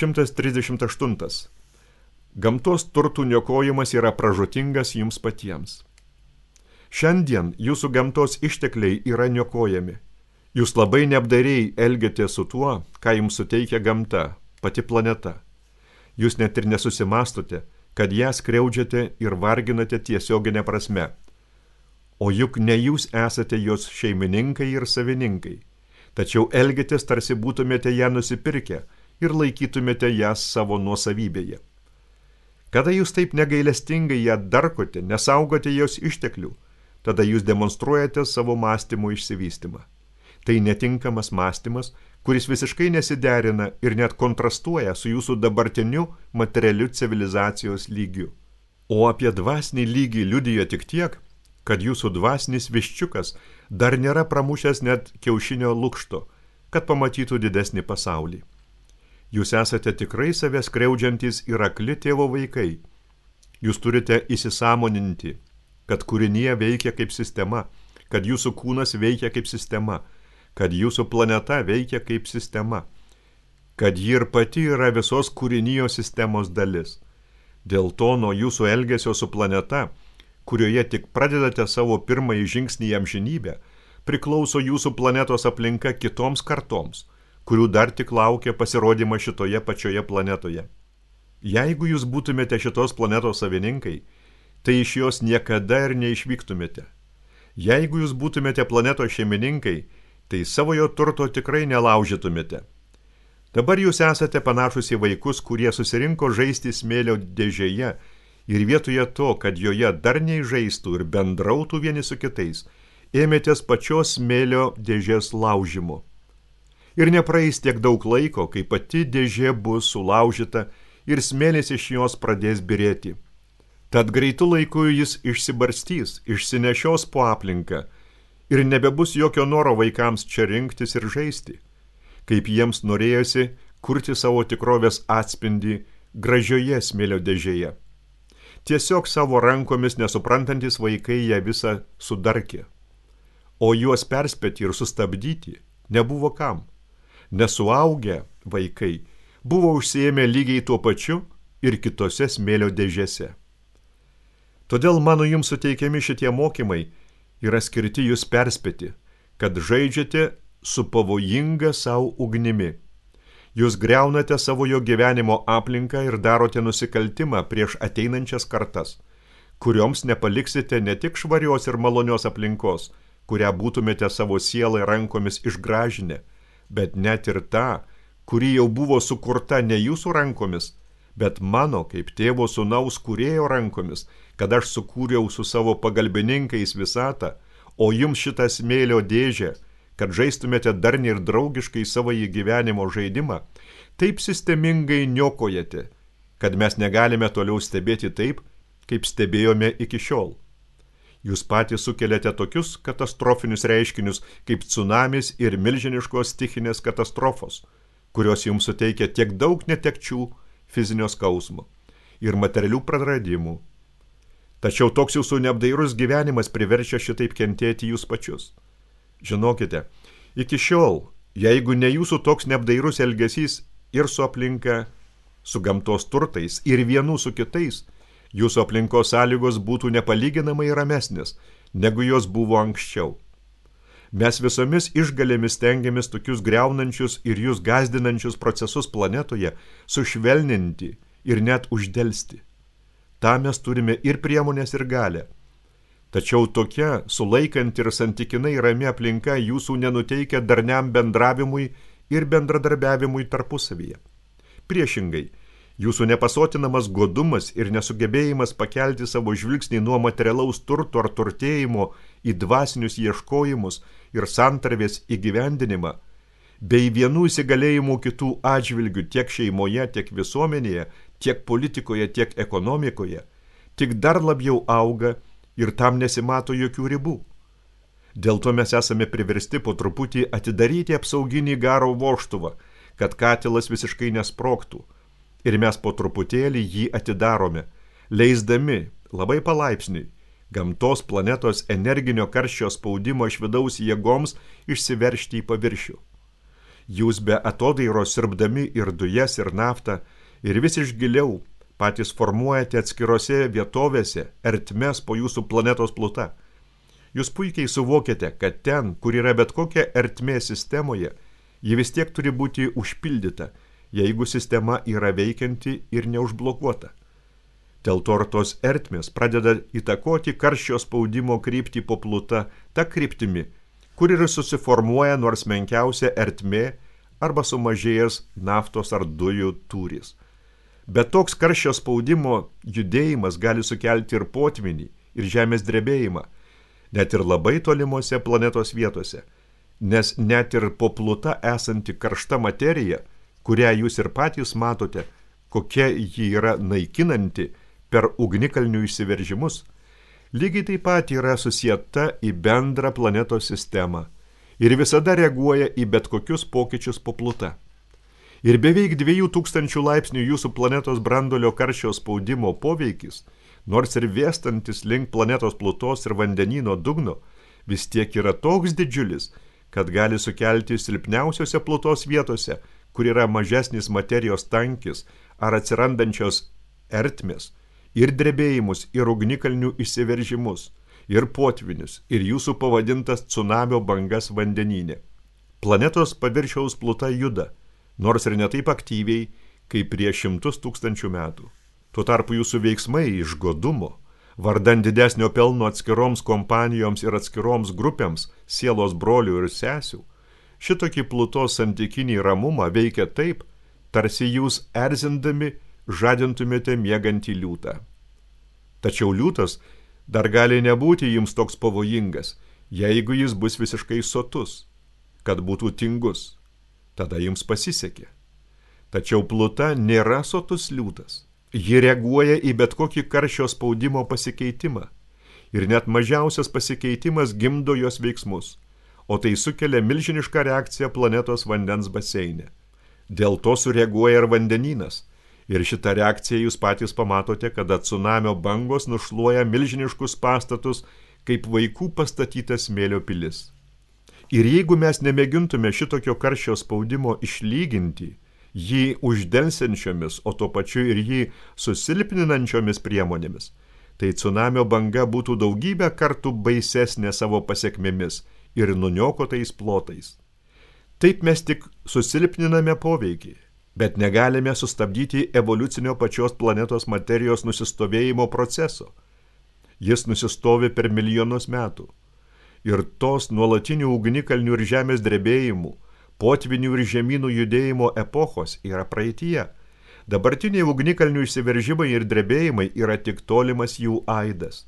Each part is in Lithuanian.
138. Gamtos turtų niokojimas yra pražūtingas jums patiems. Šiandien jūsų gamtos ištekliai yra niokojami. Jūs labai neapdairiai elgiatės su tuo, ką jums suteikia gamta, pati planeta. Jūs net ir nesusimastote, kad ją skriaudžiate ir varginate tiesioginę prasme. O juk ne jūs esate jos šeimininkai ir savininkai, tačiau elgiatės tarsi būtumėte ją nusipirkę ir laikytumėte ją savo nuosavybėje. Kada jūs taip negailestingai ją darkote, nesaugote jos išteklių, tada jūs demonstruojate savo mąstymo išsivystymą. Tai netinkamas mąstymas, kuris visiškai nesiderina ir net kontrastuoja su jūsų dabartiniu materialiu civilizacijos lygiu. O apie dvasinį lygį liudijo tik tiek, kad jūsų dvasinis viščiukas dar nėra pramušęs net kiaušinio lukšto, kad pamatytų didesnį pasaulį. Jūs esate tikrai save skriaudžiantys ir akli tėvo vaikai. Jūs turite įsisąmoninti, kad kūrinija veikia kaip sistema, kad jūsų kūnas veikia kaip sistema, kad jūsų planeta veikia kaip sistema, kad ji ir pati yra visos kūrinijos sistemos dalis. Dėl to nuo jūsų elgesio su planeta, kurioje tik pradedate savo pirmąjį žingsnį į amžinybę, priklauso jūsų planetos aplinka kitoms kartoms, kurių dar tik laukia pasirodymą šitoje pačioje planetoje. Jeigu jūs būtumėte šitos planetos savininkai, tai iš jos niekada ir neišvyktumėte. Jeigu jūs būtumėte planetos šeimininkai, tai savojo turto tikrai nelaužytumėte. Dabar jūs esate panašus į vaikus, kurie susirinko žaisti smėlio dėžėje ir vietoje to, kad joje darniai žaistų ir bendrautų vieni su kitais, ėmėtės pačios smėlio dėžės laužimo. Ir nepraeis tiek daug laiko, kai pati dėžė bus sulaužyta ir smėlis iš jos pradės birėti. Tad greitu laiku jis išsibarstys, išsinešios po aplinką ir nebebus jokio noro vaikams čia rinktis ir žaisti, kaip jiems norėjosi kurti savo tikrovės atspindį gražioje smėlio dėžėje. Tiesiog savo rankomis nesuprantantis vaikai ją visą sudarkė, o juos perspėti ir sustabdyti nebuvo kam. Nesuaugę vaikai buvo užsiėmę lygiai tuo pačiu ir kitose smėlio dėžėse. Todėl mano jums suteikiami šitie mokymai yra skirti jūs perspėti, kad žaidžiate su pavojinga savo ugnimi. Jūs griaunate savojo gyvenimo aplinką ir darote nusikaltimą prieš ateinančias kartas, kurioms nepaliksite ne tik švarios ir malonios aplinkos, kurią būtumėte savo sielą rankomis išgražinę, bet net ir tą, kuri jau buvo sukurta ne jūsų rankomis, bet mano kaip tėvo sūnaus kūrėjo rankomis, kad aš sukūriau su savo pagalbininkais visatą, o jums šitą smėlio dėžę, kad žaistumėte darniai ir draugiškai savo gyvenimo žaidimą, taip sistemingai niokojate, kad mes negalime toliau stebėti taip, kaip stebėjome iki šiol. Jūs patys sukeliate tokius katastrofinius reiškinius, kaip tsunamis ir milžiniškos stichinės katastrofos, kurios jums suteikia tiek daug netekčių, fizinio skausmo ir materialių praradimų. Tačiau toks jūsų neapdairus gyvenimas priverčia šitaip kentėti jūs pačius. Žinokite, iki šiol, jeigu ne jūsų toks neapdairus elgesys ir su aplinka, su gamtos turtais ir vienų su kitais, jūsų aplinkos sąlygos būtų nepalyginamai ramesnės, negu jos buvo anksčiau. Mes visomis išgalėmis stengiamės tokius griaunančius ir jūs gazdinančius procesus planetoje sušvelninti ir net uždelsti. Ta mes turime ir priemonės ir galę. Tačiau tokia sulaikanti ir santykinai rami aplinka jūsų nenuteikia darniam bendravimui ir bendradarbiavimui tarpusavyje. Priešingai, jūsų nepasotinamas godumas ir nesugebėjimas pakelti savo žvilgsnį nuo materialaus turto ar turtėjimo į dvasinius ieškojimus ir santarvės įgyvendinimą, bei vienų įsigalėjimų kitų atžvilgių tiek šeimoje, tiek visuomenėje, tiek politikoje, tiek ekonomikoje, tik dar labiau auga ir tam nesimato jokių ribų. Dėl to mes esame priversti po truputį atidaryti apsauginį garo vožtuvą, kad katilas visiškai nesprogtų. Ir mes po truputėlį jį atidarome, leisdami labai palaipsniui gamtos planetos energinio karščio spaudimo iš vidaus jėgoms išsiveržti į paviršių. Jūs be atodairos siurbdami ir dujas, ir naftą, ir vis iš giliau patys formuojate atskirose vietovėse ertmes po jūsų planetos pluta. Jūs puikiai suvokiate, kad ten, kur yra bet kokia ertmė sistemoje, ji vis tiek turi būti užpildyta, jeigu sistema yra veikianti ir neužblokuota. Dėl to tos ertmės pradeda įtakoti karščio spaudimo kryptį po pluta ta kryptimi, kur ir susiformuoja nors menkiausia ertmė arba sumažėjęs naftos ar dujų tūris. Bet toks karščio spaudimo judėjimas gali sukelti ir potvinį, ir žemės drebėjimą, net ir labai tolimuose planetos vietose, nes net ir po pluta esanti karšta materija, kurią jūs ir patys matote, kokia ji yra naikinanti per ugnikalnių išsiveržimus, lygiai taip pat yra susieta į bendrą planetos sistemą ir visada reaguoja į bet kokius pokyčius po pluta. Ir beveik 2000 laipsnių jūsų planetos branduolio karščio spaudimo poveikis, nors ir vėstantis link planetos plutos ir vandenyno dugno, vis tiek yra toks didžiulis, kad gali sukelti silpniausiose plutos vietose, kur yra mažesnis materijos tankis ar atsirandančios ertmės, ir drebėjimus, ir ugnikalnių išsiveržimus, ir potvinius, ir jūsų pavadintas cunamio bangas vandenyne. Planetos paviršiaus pluta juda, nors ir ne taip aktyviai, kaip prieš 100 000 metų. Tuo tarpu jūsų veiksmai iš godumo, vardan didesnio pelno atskiroms kompanijoms ir atskiroms grupėms, sielos brolių ir sesių, šitokį plutos santykinį ramumą veikia taip, tarsi jūs erzindami žadintumėte miegantį liūtą. Tačiau liūtas dar gali nebūti jums toks pavojingas, jeigu jis bus visiškai sotus, kad būtų tingus. Tada jums pasisekė. Tačiau pluta nėra sotus liūtas. Ji reaguoja į bet kokį karščio spaudimo pasikeitimą. Ir net mažiausias pasikeitimas gimdo jos veiksmus, o tai sukelia milžinišką reakciją planetos vandens baseine. Dėl to sureaguoja ir vandenynas. Ir šitą reakciją jūs patys pamatote, kada cunamio bangos nušluoja milžiniškus pastatus, kaip vaikų pastatytas smėlio pilis. Ir jeigu mes nemėgintume šitokio karščio spaudimo išlyginti, jį uždelsiančiomis, o tuo pačiu ir jį susilpninančiomis priemonėmis, tai cunamio banga būtų daugybę kartų baisesnė savo pasekmėmis ir nuniokotais plotais. Taip mes tik susilpniname poveikį, bet negalime sustabdyti evoliucinio pačios planetos materijos nusistovėjimo proceso. Jis nusistovi per milijonus metų. Ir tos nuolatinių ugnikalnių ir žemės drebėjimų, potvinių ir žemynų judėjimo epochos yra praeityje. Dabartiniai ugnikalnių išsiveržimai ir drebėjimai yra tik tolimas jų aidas.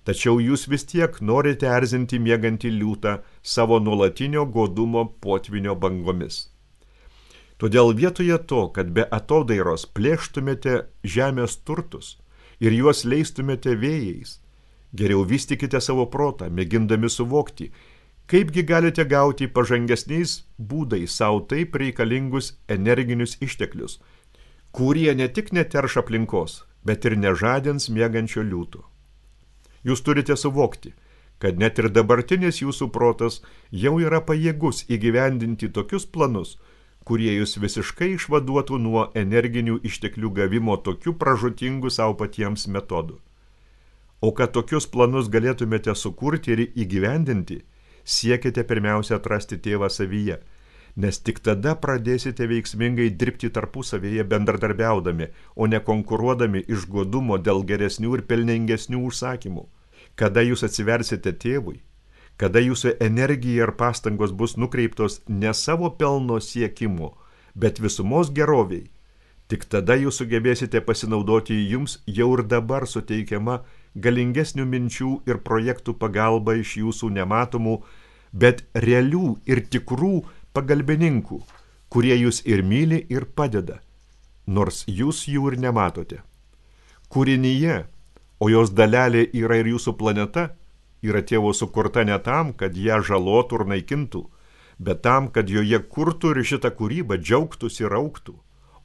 Tačiau jūs vis tiek norite erzinti miegantį liūtą savo nuolatinio godumo potvinio bangomis. Todėl vietoje to, kad be atodairos plėštumėte žemės turtus ir juos leistumėte vėjais, geriau vystykite savo protą, mėgindami suvokti, kaipgi galite gauti pažangesniais būdais savo taip reikalingus energinius išteklius, kurie ne tik neterš aplinkos, bet ir nežadins miegančio liūto. Jūs turite suvokti, kad net ir dabartinis jūsų protas jau yra pajėgus įgyvendinti tokius planus, kurie jūs visiškai išvaduotų nuo energinių išteklių gavimo tokių pražūtingų savo patiems metodų. O kad tokius planus galėtumėte sukurti ir įgyvendinti, siekite pirmiausia atrasti tėvą savyje, nes tik tada pradėsite veiksmingai dirbti tarpusavėje bendradarbiaudami, o ne konkuruodami iš godumo dėl geresnių ir pelningesnių užsakymų. Kada jūs atsiversite tėvui, kada jūsų energija ir pastangos bus nukreiptos ne savo pelno siekimo, bet visumos geroviai, tik tada jūs sugebėsite pasinaudoti jums jau ir dabar suteikiama galingesnių minčių ir projektų pagalba iš jūsų nematomų, bet realių ir tikrų pagalbininkų, kurie jūs ir myli ir padeda, nors jūs jų ir nematote. Kūrinyje, o jos dalelė yra ir jūsų planeta, yra tėvo sukurta ne tam, kad ją žalotų ir naikintų, bet tam, kad joje kurtų ir šitą kūrybą džiaugtųsi ir augtų,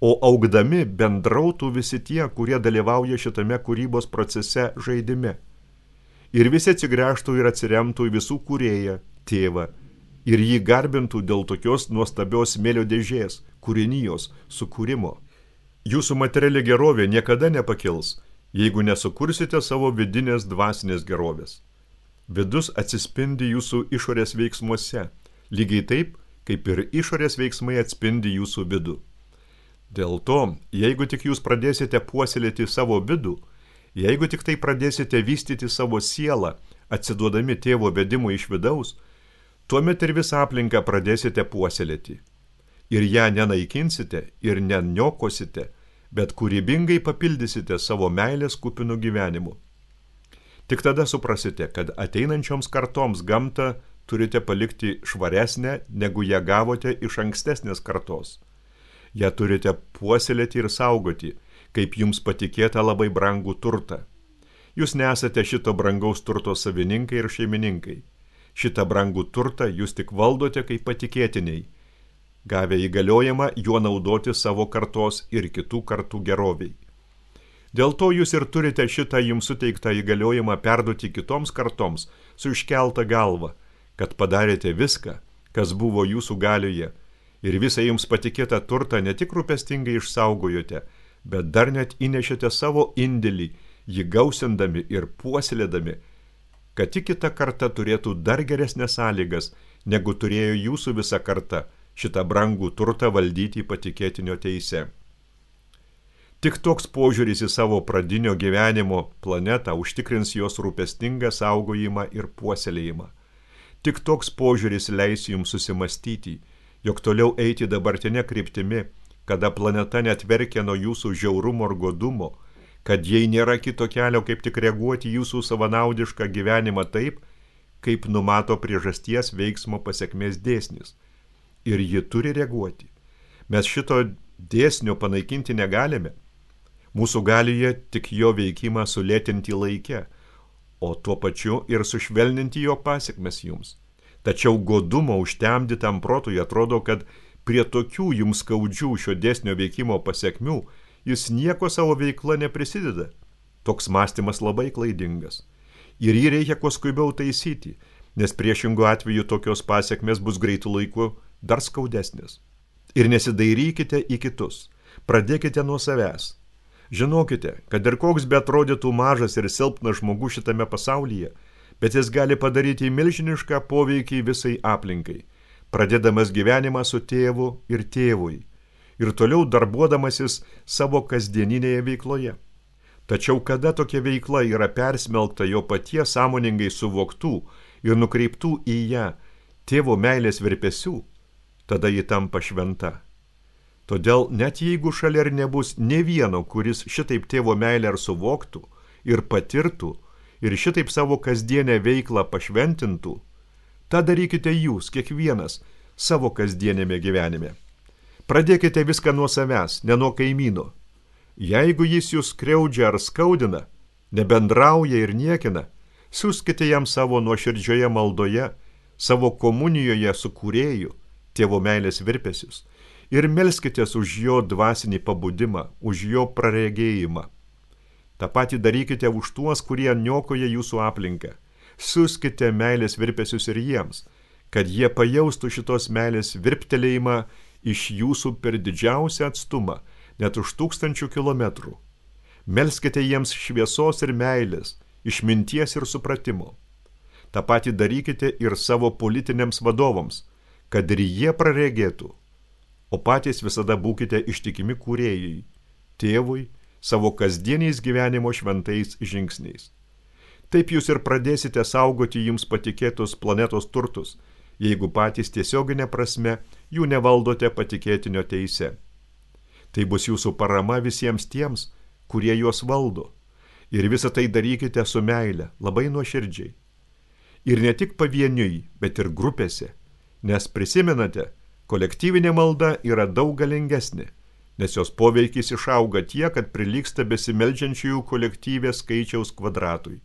o augdami bendrautų visi tie, kurie dalyvauja šitame kūrybos procese žaidime. Ir visi atsigręžtų ir atsiremtų į visų kūrėją, tėvą, ir jį garbintų dėl tokios nuostabios smėlio dėžės, kūrinijos, sukūrimo. Jūsų materiali gerovė niekada nepakils, jeigu nesukursite savo vidinės dvasinės gerovės. Vidus atsispindi jūsų išorės veiksmuose, lygiai taip, kaip ir išorės veiksmai atspindi jūsų vidų. Dėl to, jeigu tik jūs pradėsite puoselėti savo vidų, jeigu tik tai pradėsite vystyti savo sielą, atsiduodami tėvo vedimui iš vidaus, tuomet ir visą aplinką pradėsite puoselėti. Ir ją nenaikinsite ir neniokosite, bet kūrybingai papildysite savo meilės kupinų gyvenimu. Tik tada suprasite, kad ateinančioms kartoms gamtą turite palikti švaresnę, negu ją gavote iš ankstesnės kartos. Ją turite puoselėti ir saugoti, kaip jums patikėta labai brangų turtą. Jūs nesate šito brangaus turto savininkai ir šeimininkai. Šitą brangų turtą jūs tik valdote kaip patikėtiniai, gavę įgaliojimą juo naudoti savo kartos ir kitų kartų geroviai. Dėl to jūs ir turite šitą jums suteiktą įgaliojimą perduoti kitoms kartoms su iškelta galva, kad padarėte viską, kas buvo jūsų galioje, ir visą jums patikėtą turtą ne tik rūpestingai išsaugojote, bet dar net įnešėte savo indėlį, jį gausindami ir puoselėdami, kad tik kita karta turėtų dar geresnės sąlygas, negu turėjo jūsų visa karta šitą brangų turtą valdyti patikėtinio teise. Tik toks požiūris į savo pradinio gyvenimo planetą užtikrins jos rūpestingą saugojimą ir puoselėjimą. Tik toks požiūris leis jums susimastyti, jog toliau eiti dabartinę kryptimi, kada planeta net verkia nuo jūsų žiaurumo ir godumo, kad jai nėra kito kelio, kaip tik reaguoti jūsų savanaudišką gyvenimą taip, kaip numato priežasties veiksmo pasekmės dėsnis. Ir ji turi reaguoti. Mes šito dėsnio panaikinti negalime. Mūsų galioje tik jo veikimą sulėtinti laike, o tuo pačiu ir sušvelninti jo pasekmes jums. Tačiau godumo užtemdytam protui atrodo, kad prie tokių jums skaudžių šio dėsnio veikimo pasekmių jis nieko savo veikla neprisideda. Toks mąstymas labai klaidingas. Ir jį reikia kuo skubiau taisyti, nes priešingu atveju tokios pasekmės bus greitų laiku dar skaudesnės. Ir nesidairykite į kitus. Pradėkite nuo savęs. Žinokite, kad ir koks beatrodytų mažas ir silpnas žmogus šitame pasaulyje, bet jis gali padaryti milžinišką poveikį visai aplinkai, pradėdamas gyvenimą su tėvu ir tėvui, ir toliau darbuodamasis savo kasdieninėje veikloje. Tačiau kada tokia veikla yra persmelkta jo paties sąmoningai suvoktų ir nukreiptų į ją tėvo meilės virpesių, tada ji tampa šventa. Todėl net jeigu šalia ir nebus nė vieno, kuris šitaip tėvo meilę ar suvoktų ir patirtų ir šitaip savo kasdienę veiklą pašventintų, tą darykite jūs, kiekvienas, savo kasdienėme gyvenime. Pradėkite viską nuo savęs, ne nuo kaimyno. Jeigu jis jūs skriaudžia ar skaudina, nebendrauja ir niekina, siųskite jam savo nuoširdžioje maldoje, savo komunijoje su kūrėju, tėvo meilės virpesius, ir melskitės už jo dvasinį pabudimą, už jo praregėjimą. Ta patį darykite už tuos, kurie niokoja jūsų aplinką. Siųskite meilės virpesius ir jiems, kad jie pajaustų šitos meilės virptelėjimą iš jūsų per didžiausią atstumą, net už 1000 kilometrų. Melskite jiems šviesos ir meilės, išminties ir supratimo. Ta patį darykite ir savo politiniams vadovams, kad ir jie praregėtų, o patys visada būkite ištikimi kūrėjai, tėvui, savo kasdieniais gyvenimo šventais žingsniais. Taip jūs ir pradėsite saugoti jums patikėtus planetos turtus, jeigu patys tiesioginė prasme jų nevaldote patikėtinio teise. Tai bus jūsų parama visiems tiems, kurie juos valdo. Ir visą tai darykite su meile, labai nuoširdžiai. Ir ne tik pavieniui, bet ir grupėse, nes prisimenate, kolektyvinė malda yra daug galingesnė, nes jos poveikis išauga tiek, kad prilygsta besimeldžiančiųjų kolektyvės skaičiaus kvadratui.